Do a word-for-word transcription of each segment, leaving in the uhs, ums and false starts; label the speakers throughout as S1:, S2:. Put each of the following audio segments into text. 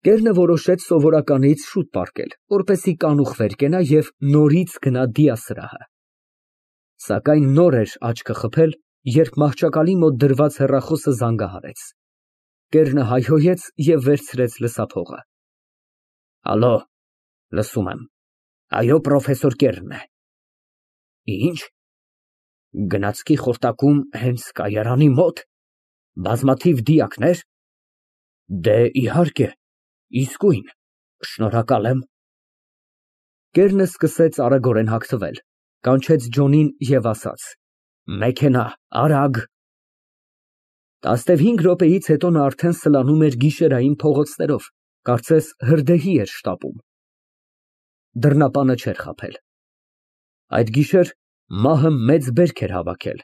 S1: Կեռնը որոշեց սովորականից շուտ պառկել, որպեսզի կանուխ վեր կենա և նորից գնա դիասրահը։ Սակայն նոր էր աչքը խփել, երբ մահճակալի մոտ դրված հեռախոսը զանգահարեց։ Կեռնը հայհոյեց և վերցրեց լսափողը։ Ալո, լսում եմ, այո, պրոֆեսոր Կեռն է։ Ինչ, գնացքի խորտակում հենց կայարանի մոտ, բազմաթիվ դիակնե՞ր։ Դե, իհարկե, իսկույն, շնորհակալ եմ։ Կեռնը սկսեց արագորեն հագնվել, կանչեց Ջոնին և ասաց. Մեքենա, արագ։ Տասնհինգ րոպեից հետո նա արդեն սլանում էր գիշերային փողոցներով, կարծես հրդեհի էր շտապում։ Դռնապանը չէր խաբել։ Այդ գիշեր մահը մեծ բերք էր հավաքել,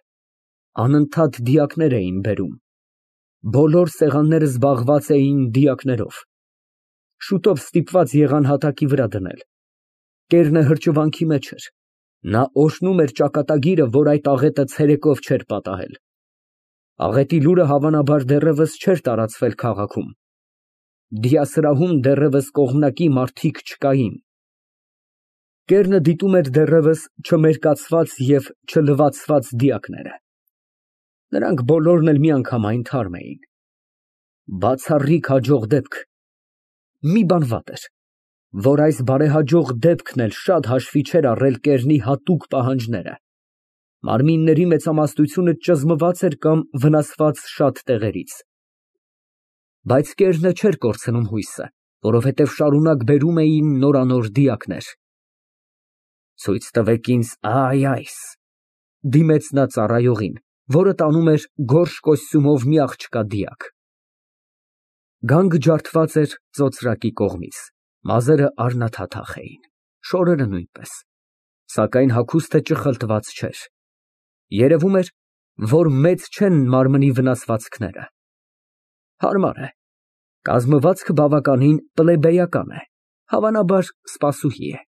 S1: անընդհատ դիակներ էին բերում։ Բոլոր սեղանները զբաղված էին դիակներով։ Շուտով ստիպված եղան հատակի վրա դնել։ Կեռնը հրճվանքի մեջ էր։ Նա օրհնում էր ճակատագիրը, որ այդ աղետը ցերեկով չէր պատահել։ Աղետի լուրը հավանաբար դեռևս չէր տարածվել քաղաքում։ Դիասրահում դեռևս կողմնակի մարդիկ չկային։ Կեռնը դիտում էր դեռևս չմերկացված և չլվացված դիակները։ Նրանք բոլորն էլ միանգամայն թարմ էին։ Բացառիկ հաջող դեպք։ Մի բան վատ էր, որ այս բարեհաջող դեպքն էլ շատ հաշվի չէր առել Կեռնի հատուկ պահանջները։ Մարմինների մեծամասնությունը ճզմված էր կամ վնասված շատ տեղերից։ Բայց Կեռնը չէր կորցնում հույսը, որովհետև շարունակ բերում էին նորանոր դիակներ։ Ցույց տվեք ինձ այ այս, դիմեց նա ծառայողին, որը տանում էր գորշ կոստյումով մի աղջկա դիակ։ Գանգը ջարդված էր ծոծրակի կողմից, մազերը առնաթաթախ էին, շորերը նույնպես, սակայն հագուստը ճխլտված չէր։ Երևում էր, որ մեծ չեն մարմնի վնասվածքները։ Հարմար է, կազմվածքը բավականին պլեբեյական է, հավանաբար սպասուհի է,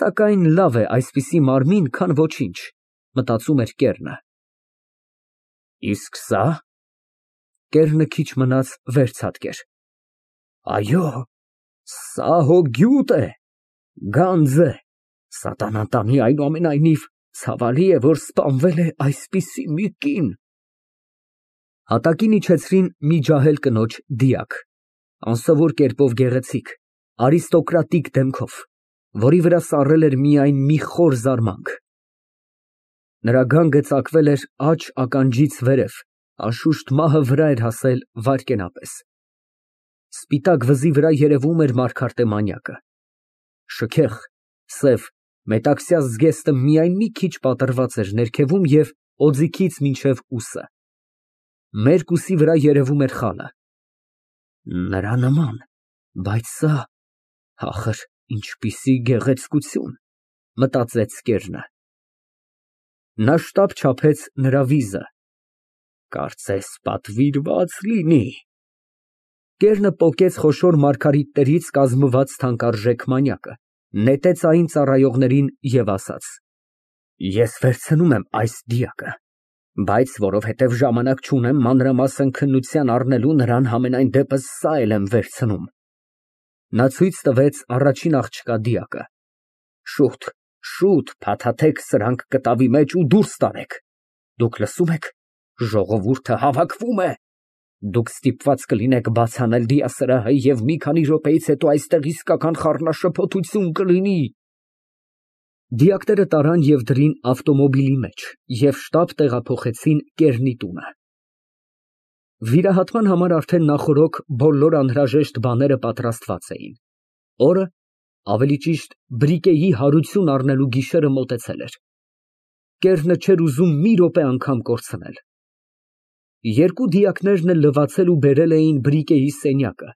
S1: սակայն լավ է այսպիսի մարմին, քան ոչինչ, մտածում էր Կեռնը։ Իսկ սա։ Կեռնը քիչ մնաց վեր ցատկեր։ Այո, սա հո գյուտ է, գանձ է, սատանան տանի, այնուամենայնիվ ցավալի է, որ սպանվել է այսպիսի մի կին։ Հատակին իջեցրին մի ջահել կնոջ դիակ, անսովոր կերպով գեղեցիկ, արիստոկրատիկ դեմքով, որի վրա սառել էր միայն մի խոր զարմանք։ Նրա գանգը ծակվել էր աջ ականջից վերև, անշուշտ մահը վրա էր հասել վայրկենապես։ Սպիտակ վզի վրա երևում էր մարգարտե մանյակը։ Շքեղ, սև, մետաքսյա զգեստը միայն մի քիչ պատռված էր ներքևում և օձիքից մինչև ուսը։ Մերկ ուսի վրա երևում էր խալը։ Նրա նման, բայց սա, ախր, ինչպիսի գեղեցկություն, մտածեց Կեռնը։ Նա շտապ չափեց նրա վիզը։ Կարծես պատվիրված լինի։ Կեռնը պոկեց խոշոր մարգարիտներից կազմված թանկարժեք մանյակը, նետեց այն ծառայողներին և ասաց. Ես վերցնում եմ այս դիակը, բայց որովհետև ժամանակ չունեմ մանրամասն քննության առնելու, նրան համենայն դեպս սա էլ եմ վերցնում։ Նա ցույց տվեց առաջին աղջկա դիակը։ Շուտ, շուտ փաթաթեք սրանք կտավի մեջ ու դուրս տարեք։ Դուք լսո՞ւմ եք, ժողովուրդը հավաքվում է։ Դուք ստիպված կլինեք բաց անել դիասրահը և մի քանի րոպեից հետո այստեղ իսկական խառնաշփոթություն կլինի։ Դիակները տարան և դրին ավտոմոբիլի մեջ և շտապ տեղափոխեցին Կեռնի տունը։ Վիրահատման համար արդեն նախօրոք բոլոր անհրաժեշտ բաները պատրաստված էին։ Օրը, ավելի ճիշտ բրիկեի հարություն առնելու գիշերը մոտեցել էր։ Կեռնը չէր ուզում մի րոպե անգամ կորցնել։ Երկու դիակներն էլ լվացել ու բերել էին բրիկեի սենյակը,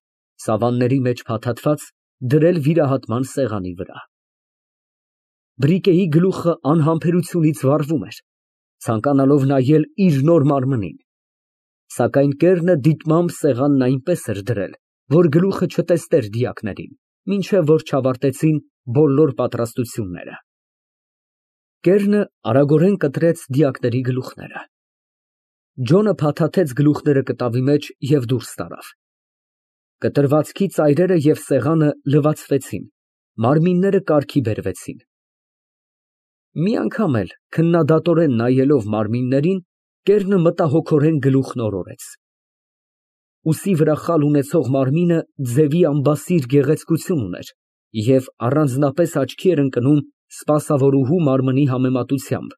S1: սավանների մեջ փաթաթված, դրել վիրահատման սեղանի վրա։ Բրիկեի գլուխը անհամբերությունից վառվում էր, ցանկանալով նայել իր նոր մարմնին։ Սակայն Կեռնը դիտմամբ սեղանն այնպես էր դրել, որ գլուխը չտեսներ դիակներին, մինչև որ չավարտեցին բոլոր պատրաստությունները։ Կեռնը արագորեն կտրեց դիակների գլուխները։ Ջոնը փաթաթեց գլուխները կտավի մեջ և դուրս տարավ։ Կտրվածքի ծայրերը և սեղանը լվացվեցին, մարմինները կարգի բերվեցին։ Մի անգամ էլ քննադատորեն նայելով մարմիններին, կեռը մտահոգորեն գլուխն օրորեց։ Ուսի վրա խալ ունեցող մարմինը ձևի ամբասիր գեղեցկություն ուներ և առանձնապես աչքի էր ընկնում սպասավորուհու մարմնի համեմատությամբ,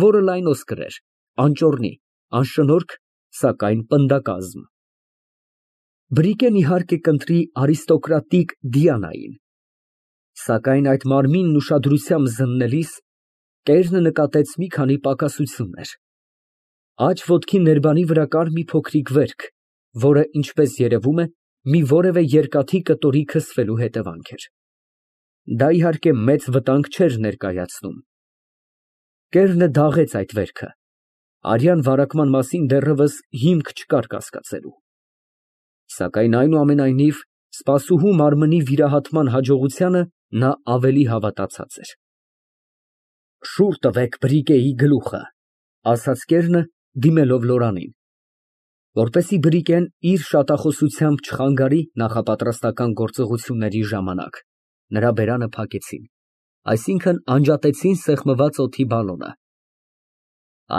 S1: որը լայնոսկր էր, անճոռնի, անշնորհք, սակայն պնդակազմ։ Բրիկեն, իհարկե, կընտրի արիստոկրատիկ Դիանային, սակայն այդ մարմինն ուշադրությամբ զննելիս կեռը նկատեց մի քանի պակասություններ։ Աջ ոտքի ներբանի վրա կար մի փոքրիկ վերք, որը, ինչպես երևում է, մի որևէ երկաթի կտորի քսվելու հետևանք էր։ Դա, իհարկե, մեծ վտանգ չէր ներկայացնում։ Կեռը դաղեց այդ վերքը, արյան վարակման մասին դեռևս հիմք չկար կասկածելու։ Սակայն, այնուամենայնիվ, սպասուհու մարմնի վիրահատման հաջողությանը նա ավելի հավատացած էր։ «Շուռ տվեք Բրիկեի գլուխը», ֊ ասաց կեռը, դիմելով Լորանին, որպեսզի Բրիկեն իր շատախոսությամբ չխանգարի նախապատրաստական գործողությունների ժամանակ, նրա բերանը փակեցին, այսինքն անջատեցին սեղմված օդի բալոնը։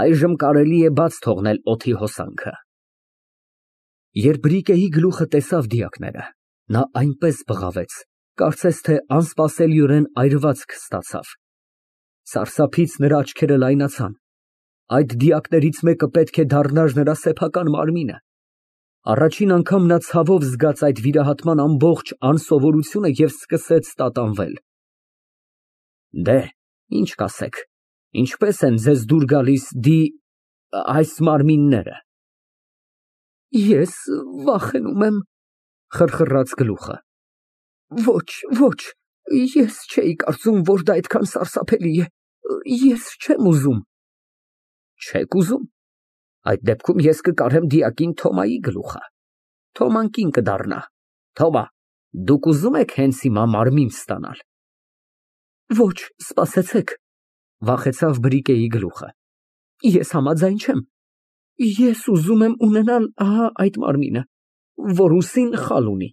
S1: «Այժմ կարելի է բաց թողնել օդի հոսանքը»։ Երբ Բրիկեի գլուխը տեսավ դիակները, նա այնպես բղավեց, կարծես թե անսպասելիորեն այրվածք ստացավ։ Սարսափից նրա աչքերը լայնացան։ Այդ դիակներից մեկը պետք է դառնար նրա սեփական մարմինը։ Առաջին անգամ նա ցավով զգաց այդ վիրահատման ամբողջ անսովորությունը և սկսեց տատանվել։ Դե, ինչ կասեք, ինչպե՞ս են ձեզ դուր գալիս դի… այս մարմինները։ Ես վախենում եմ, խրխռաց գլուխը։ Ոչ, ոչ, ես չէի կարծում, որ դա այդքան սարսափելի է, ես չեմ ուզում։ Չեք ուզում։ Այդ դեպքում ես կկարեմ դիակին Թոմայի գլուխը, Թոման կին կդառնա։ Թոմա, դուք ուզում եք հենց հիմա մարմին ստանալ։ Ոչ, սպասեցեք, վախեցավ Բրիկեի գլուխը։ Ես համաձայն չեմ։ Ես ուզում եմ ունենալ ահա այդ մարմինը, որ ուսին խալ ունի։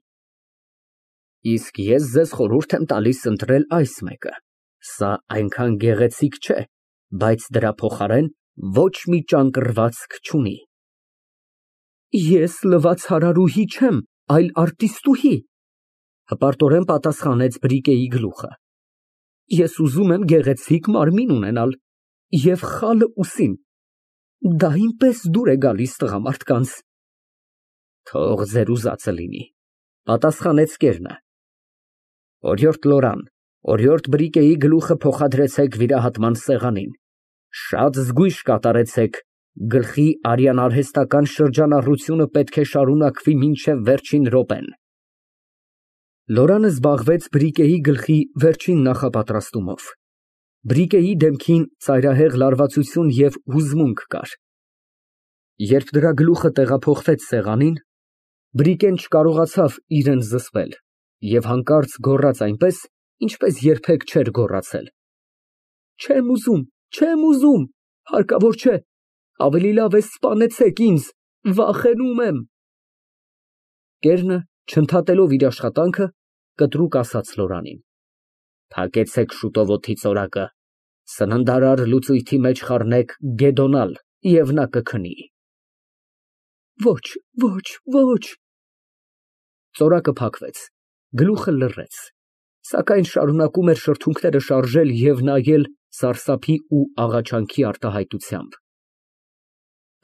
S1: Իսկ ես ձեզ խորհուրդ եմ տալիս ընտրել այս մեկը, սա այնքան գեղեցիկ չէ, բայց դրա փոխարեն ոչ մի ճանկռվածք չունի։ Ես լվացարարուհի չեմ, այլ արտիստուհի, հպարտորեն պատասխանեց Բրիկեի գլուխը։ Ես ուզում եմ գեղեցիկ մարմին ունենալ և խալը ուսին։ Դա ինպես դուր է գալիս տղամարդկանց։ Թող ձեր ուզածը լինի, պատասխանեց կեռը։ Օրիորդ Լորան, օրիորդ Բրիկեի գլուխը փոխադրեցեք վիրահատման սեղանին, շատ զգույշ կատարեցեք, գլխի արյան արհեստական շրջանառությունը պետք է շարունակվի մինչև վերջին րոպեն։ Լորանը զբաղվեց Բրիկեի գլխի վերջին նախապատրաստումով։ Բրիկեի դեմքին ծայրահեղ լարվածություն և հուզմունք կար։ Երբ դրա գլուխը տեղափոխվեց սեղանին, Բրիկեն չկարողացավ իրան զսպել և հանկարծ գոռաց այնպես, ինչպես երբեք չէր գոռացել. Չեմ ուզում, չեմ ուզում, հարկավոր չէ, ավելի լավ է սպանեցեք ինձ, վախենում եմ։ Կեռը, չընդհատելով իր աշխատանքը, կտրուկ ասաց Լորանին. Փակեցեք շուտով օդի ծորակը, սննդարար լուծույթի մեջ խառնեք գեդոնալ և նա կքնի։ Ոչ, ոչ, ոչ։ Ծորակը փակվեց, գլուխը լռեց, սակայն շարունակում էր շրթունքները շարժել և նայել սարսափի ու աղաչանքի արտահայտությամբ։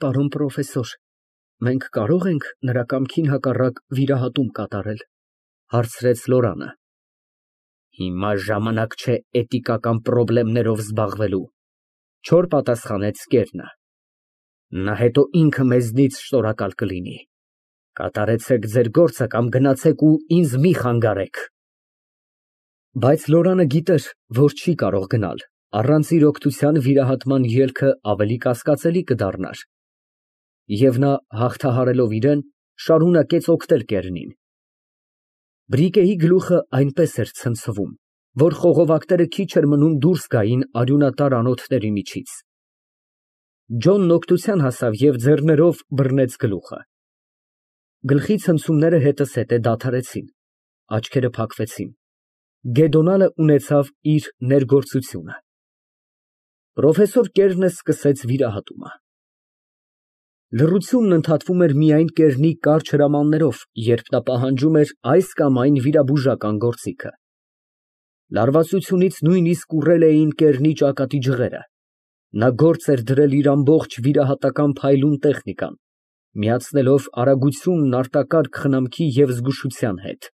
S1: Պարոն պրոֆեսոր, մենք կարո՞ղ ենք նրա կամքին հակառակ վիրահատում կատարել, հարցրեց Լորանը։ Հիմա ժամանակ չէ էթիկական պրոբլեմներով զբաղվելու, չոր պատասխանեց կեռը։ Նա հետո ինքը մեզնից շնորհակալ կլինի։ Կատարեցեք ձեր գործը կամ գնացեք ու ինձ մի խանգարեք։ Բայց Լորանը գիտեր, որ չի կարող գնալ, առանց իր օգնության վիրահատման ելքը ավելի կասկածելի կդառնար։ Եվ նա, հաղթահարելով իրան, շարունակեց օգնել կեռին։ Բրիկեի գլուխը այնպես էր ցնցվում, որ խողովակները քիչ էր մնում դուրս գային արյունատար անոթների միջից։ Ջոնն օգնության հասավ և ձեռներով բռնեց գլուխը։ Գլխի ցնցումները հետզհետե դադարեցին, աչքերը փակվեցին, Գեդոնալը ունեցավ իր ներգործությունը։ Պրոֆեսոր Կերնը սկսեց վիրահատումը։ Լռությունն ընդհատվում էր միայն Կերնի կարճ հրամաններով, երբ նա պահանջում էր այս կամ այն վիրաբուժական գործիքը։ Լարվածությունից նույնիսկ ուռել էին Կերնի ճակատի ջղերը։ Նա գործ էր դրել իր ամբողջ վիրահատական փայլուն տեխնիկան, միացնելով արագությունն արտակարգ խնամքի և զգուշության հետ։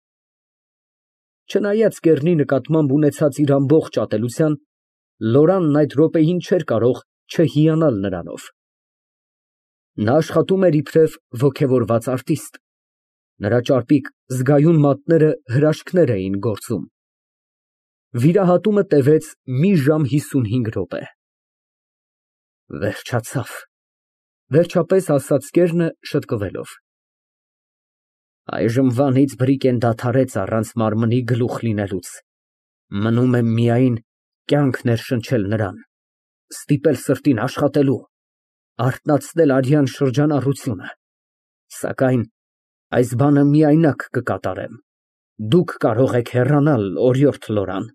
S1: Չնայած Կեռնի նկատմամբ ունեցած իր ամբողջ ատելության, Լորանն այդ րոպեին չէր կարող չհիանալ նրանով։ Նա աշխատում էր իբրև ոգևորված արտիստ։ Նրա ճարպիկ, զգայուն մատները հրաշքներ էին գործում։ Վիրահատումը տևեց մի ժամ հիսունհինգ րոպե։ Վերջացավ, վերջապես ասաց Կերնը շտկվելով։ Այժմ վանից Բրիկեն դադարեց առանց մարմնի գլուխ լինելուց, մնում է միայն կյանք ներշնչել նրան, ստիպել սրտին աշխատելու, արթնացնել արյան շրջանառությունը, սակայն այս բանը միայնակ կկատարեմ, դուք կարող եք հեռանալ, օրիորդ Լորան։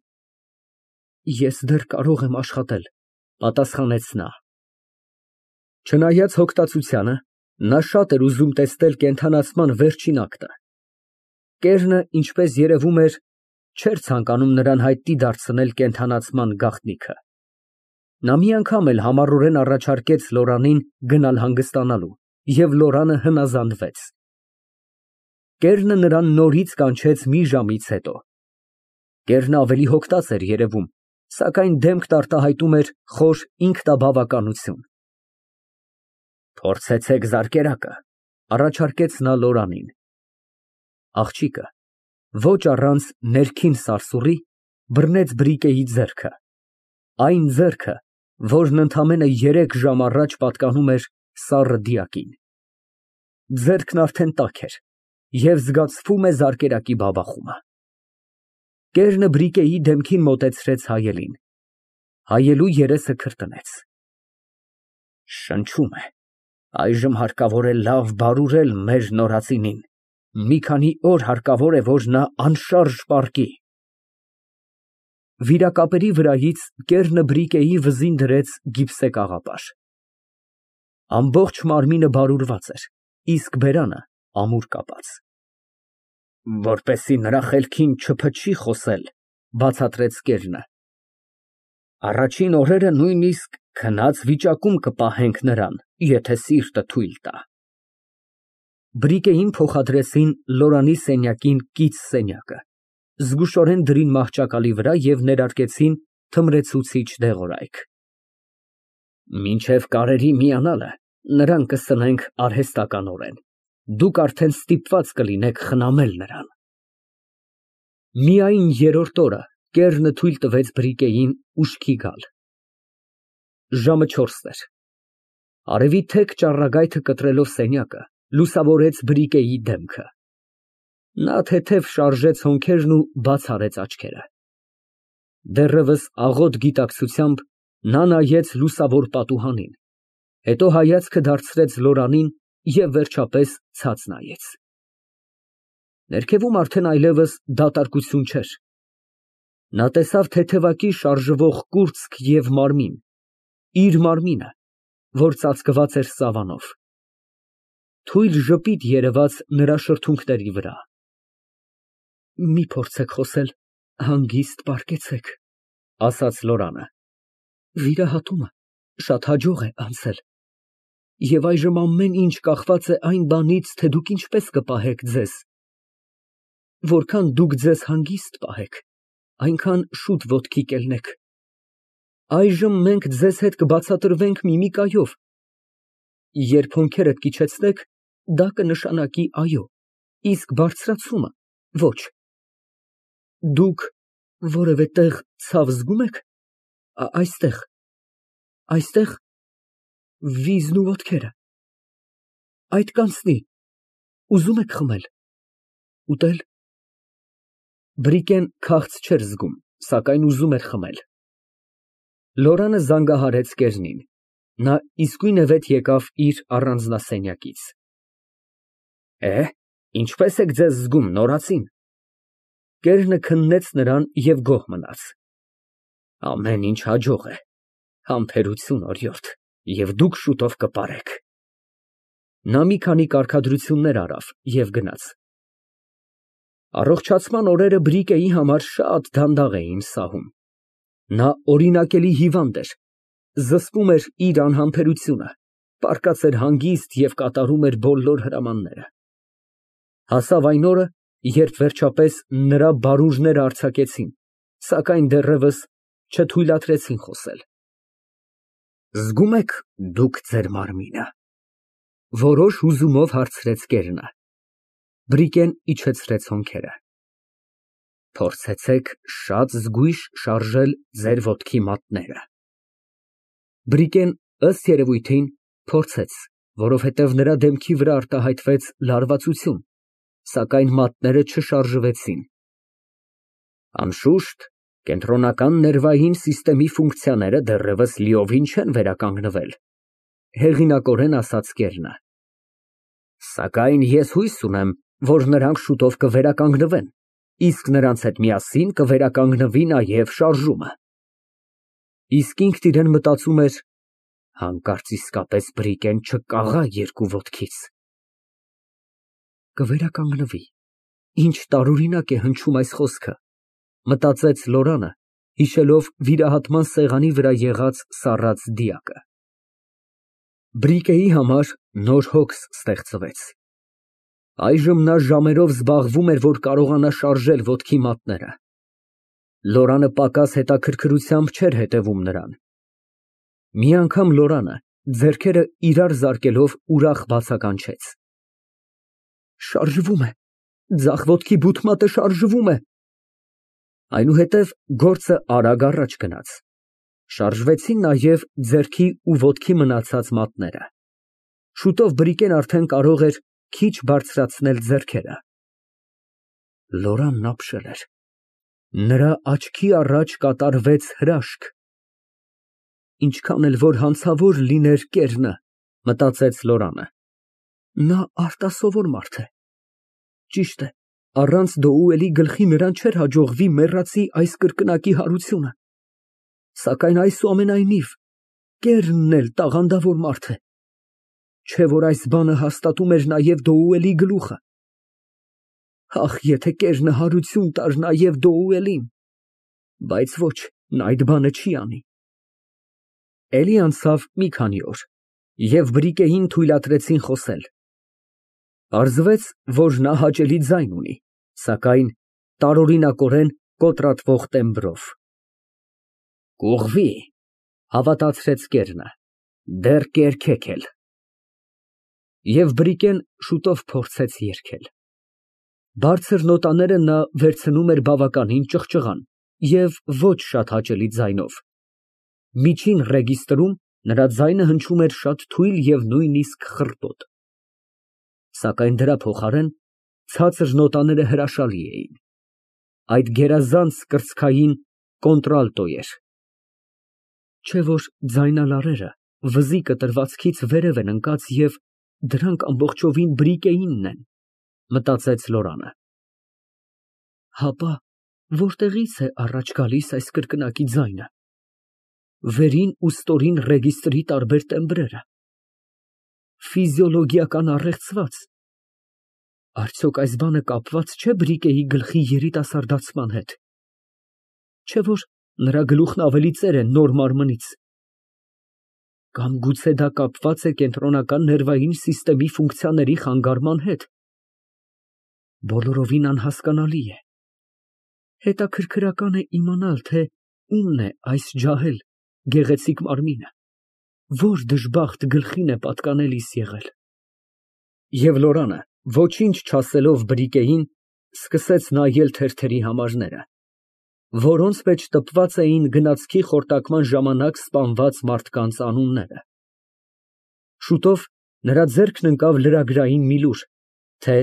S1: Ես դեռ կարող եմ աշխատել, պատասխանեց նա։ Չնայած հոգտացությանը, նա շատ էր ուզում տեսնել կենդանացման վերջին ակտը։ Կերնը, ինչպես երևում էր, չէր ցանկանում նրան հայտնի դարձնել կենդանացման գաղտնիքը։ Նա մի անգամ էլ համառորեն առաջարկեց Լորանին գնալ հանգստանալու, և Լորանը հնազանդվեց։ Կերնը նրան նորից կանչեց մի ժամից հետո։ Կերնը ավելի հոգտած էր երևում, սակայն դեմքն արտահայտում էր խոր ինքնաբավականություն։ Փորձեցեք զարկերակը, առաջարկեց նա Լորանին։ Աղջիկը, ոչ առանց ներքին սարսուռի, բռնեց Բրիկեի ձեռքը, այն ձեռքը, որն ընդամենը երեք ժամ առաջ պատկանում էր սառը դիակին։ Ձեռքն արդեն տաք էր, և զգացվում է զարկերակի բաբախումը։ Կերնը Բրիկեի դեմքին մոտեցրեց հայելին։ Հայելու երեսը քրտնեց։ Շնչում է, այժմ հարկավոր է լավ բարուրել մեր նորածինին, մի քանի օր հարկավոր է, որ նա անշարժ պառկի։ Վիրակապերի վրայից Կերնը Բրիկեի վզին դրեց գիպսե կաղապար։ Ամբողջ մարմինը բարուրված էր, իսկ բերանը ամուր կապած։ Որպեսզի նրա խելքին չփչի խոսել, բացատրեց Կերնը, առաջին օրերը նույնիսկ քնած վիճակում կպահենք նրան, եթե սիրտը թույլ տա։ Բրիկեին փոխադրեցին Լորանի սենյակին կից սենյակը, զգուշորեն դրին մահճակալի վրա և ներարկեցին թմրեցուցիչ դեղորայք։ Մինչև կարերի միանալը նրան կսնենք արհեստականորեն, դուք արդեն ստիպված կլինեք խնամել նրան։ Միայն երրորդ օրը Կերնը թույլ տվեց Բրիկեին ուշքի գալ։ Ժամը չորսն էր։ Արևի թեք ճառագայթը կտրելով սենյակը, լուսավորեց Բրիկեի դեմքը։ Նա թեթև շարժեց հոնքերն ու բաց արեց աչքերը։ Դեռևս աղոտ գիտակցությամբ նա նայեց լուսավոր պատուհանին, հետո հայացքը դարձրեց Լորանին և վերջապես ցած նայեց։ Ներքևում արդեն այլևս դատարկություն չէր։ Նա տեսավ թեթևակի շարժվող կուրծք և մարմին, իր մարմինը, որ ծածկված էր սավանով։ Թույլ ժպիտ երևաց նրա շրթունքների վրա։ Մի փորձեք խոսել, հանգիստ պառկեցեք, ասաց Լորանը։ Վիրահատումը շատ հաջող է անցել, և այժմ ամեն ինչ կախված է այն բանից, թե դուք ինչպես կպահեք ձեզ։ Որքան դուք ձեզ հանգիստ պահեք, այնքան շուտ ոտքի կելնեք։ Այժմ մենք ձեզ հետ կբացատրվենք միմիկայով։ Երբ հոնքերդ կիջեցնեք, դա կնշանակի այո, իսկ բարձրացումը՝ ոչ։ Դուք որևէ տեղ ցավ զգում եք։ Այստեղ, այստեղ, վիզն ու ոտքերը։ Այդ կանցնի, ուզում եք խմել, ուտել։ Բրիկեն քաղց չէր զգում, սակայն ուզում էր խմել։ Լորանը զանգահարեց Կերնին։ Նա իսկույնևեթ եկավ իր առանձնասենյակից։ Է, Ինչպե՞ս եք ձեզ զգում, նորածին։ Կերնը քննեց նրան և գոհ մնաց։ Ամեն ինչ հաջող է, համբերություն, օրիորդ, և դուք շուտով կպարեք։ Նա մի քանի կարգադրություններ արավ և գնաց։ Առողջացման օրերը Բրիկեի համար շատ դանդաղ էին սահում։ Նա օրինակելի հիվանդ էր, զսպում էր իր անհամբերությունը, պառկած էր հանգիստ և կատարում էր բոլոր հրամանները։ Հասավ այն օրը, երբ վերջապես նրա բարուրները արձակեցին, սակայն դեռևս չթույլատրեցին խոսել։ Զգո՞ւմ եք դուք ձեր մարմինը, որոշ հուզումով հարցրեց կերնը։ Բրիկեն իջեցրեց հոնքերը։ Փորձեցեք շատ զգույշ շարժել ձեր ոտքի մատները։ Բրիկեն, ըստ երևույթին, փորձեց, որովհետև նրա դեմքի վրա արտահայտվեց լարվածություն, սակայն մատները չշարժվեցին։ Անշուշտ, կենտրոնական ներվային սիստեմի ֆունկցիաները դեռևս լիովին չեն վերականգնվել, հեղինակորեն ասաց կերնը։ Սակայն ես հույս ունեմ, որ նրանք շուտով կվերականգնվեն, իսկ նրանց հետ միասին կվերականգնվի նաև շարժումը։ Իսկ ինքն իրան մտածում էր. հանկարծ իսկապես Բրիկեն չկաղա երկու ոտքից։ Կվերականգնվի, ինչ տարօրինակ է հնչում այս խոսքը, մտածեց Լորանը, հիշելով վիրահատման սեղանի վրա եղած սառած դիակը։ Բրիկեի համար նոր հոգս ստեղծվեց։ Այժմ նա ժամերով զբաղվում էր, որ կարողանա շարժել ոտքի մատները։ Լորանը պակաս հետաքրքրությամբ չէր հետևում նրան։ Մի անգամ Լորանը, ձեռքերը իրար զարկելով, ուրախ բացականչեց. Շարժվում է, ձախ ոտքի բութմատը շարժվում է։ Այնուհետև գործը արագ առաջ գնաց։ Շարժվեցին նաև ձեռքի ու ոտքի մնացած մատները։ Շուտով Բրիկեն արդեն կարող էր քիչ բարձրացնել ձեռքերը։ Լորանն ապշել էր։ Նրա աչքի առաջ կատարվեց հրաշք։ Ինչքան էլ որ հանցավոր լիներ կերնը, մտածեց Լորանը, նա արտասովոր մարդ է։ Ճիշտ է, առանց Դոուելի գլխի նրան չէր հաջողվի մեռածի այս կրկնակի հարությունը։ Սակայն այսուամենայնիվ, կերնն էլ տաղանդավոր մարդ է։ Չէ՞ որ այս բանը հաստատում էր նաև Դոուելի գլուխը։ Ախ, եթե կերնը հարություն տար նաև Դոուելին։ Բայց ոչ, նա այդ բանը չի անի։ Էլի անցավ մի քանի օր, և Բրիկեին թույլատրեցին խոսել։ Պարզվեց, որ նա հաճելի ձայն ունի, սակայն տարօրինակորեն կոտրատվող տեմբրով։ Կուղվի, հավատացրեց կերնը, դեռ կերքեք էլ։ Եվ Բրիկեն շուտով փորձեց երգել։ Բարձր նոտաները նա վերցնում էր բավականին ճղճղան և ոչ շատ հաճելի ձայնով։ Միջին ռեգիստրում նրա ձայնը հնչում էր շատ թույլ և նույնիսկ խռպոտ։ Սակայն դրա փոխարեն ցածր նոտաները հրաշալի էին։ Այդ գերազանց կրծքային կոնտրալտո էր։ Չէ՞ որ ձայնալարերը վզի կտրվածքից վերև են ընկած և դրանք ամբողջովին Բրիկեինն են, մտածեց Լորանը։ Հապա որտեղի՞ց է առաջ գալիս այս կրկնակի ձայնը։ Վերին ու ստորին ռեգիստրի տարբեր տեմբրերը։ Ֆիզիոլոգիական առեղծված։ Արդյոք այս բանը կապված չէ Բրիկեի գլխի երիտասարդացման հետ։ Չէ՞ որ նրա գլուխն ավելի ծեր է նոր մարմնից։ Կամ գուցե դա կապված է կենտրոնական ներվային սիստեմի ֆունկցիաների խանգարման հետ։ Բոլորովին անհասկանալի է։ Հետաքրքրական է իմանալ, թե ումն է այս ջահել գեղեցիկ մարմինը, որ դժբախտ գլխին է պատկանելիս եղել։ Եվ Լորանը, ոչինչ չասելով Բրիկեին, սկսեց նայել թերթերի համարները, որոնց մեջ տպված էին գնացքի խորտակման ժամանակ սպանված մարդկանց անունները։ Շուտով նրա ձեռքն ընկավ լրագրային մի լուր, թե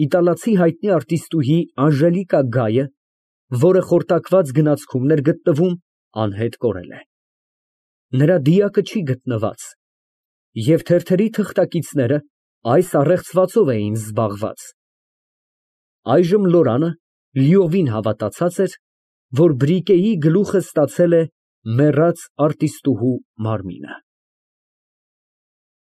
S1: իտալացի հայտնի արտիստուհի Անժելիկա Գայը, որը խորտակված գնացքում էր գտնվում, անհետ կորել է։ Նրա դիակը չի գտնված, և թերթերի թղթակիցները այս առեղծվածով էին զբաղված։ Այժմ Լորանը լիովին հավատացած էր, որ Բրիկեի գլուխը ստացել է մեռած արտիստուհու մարմինը։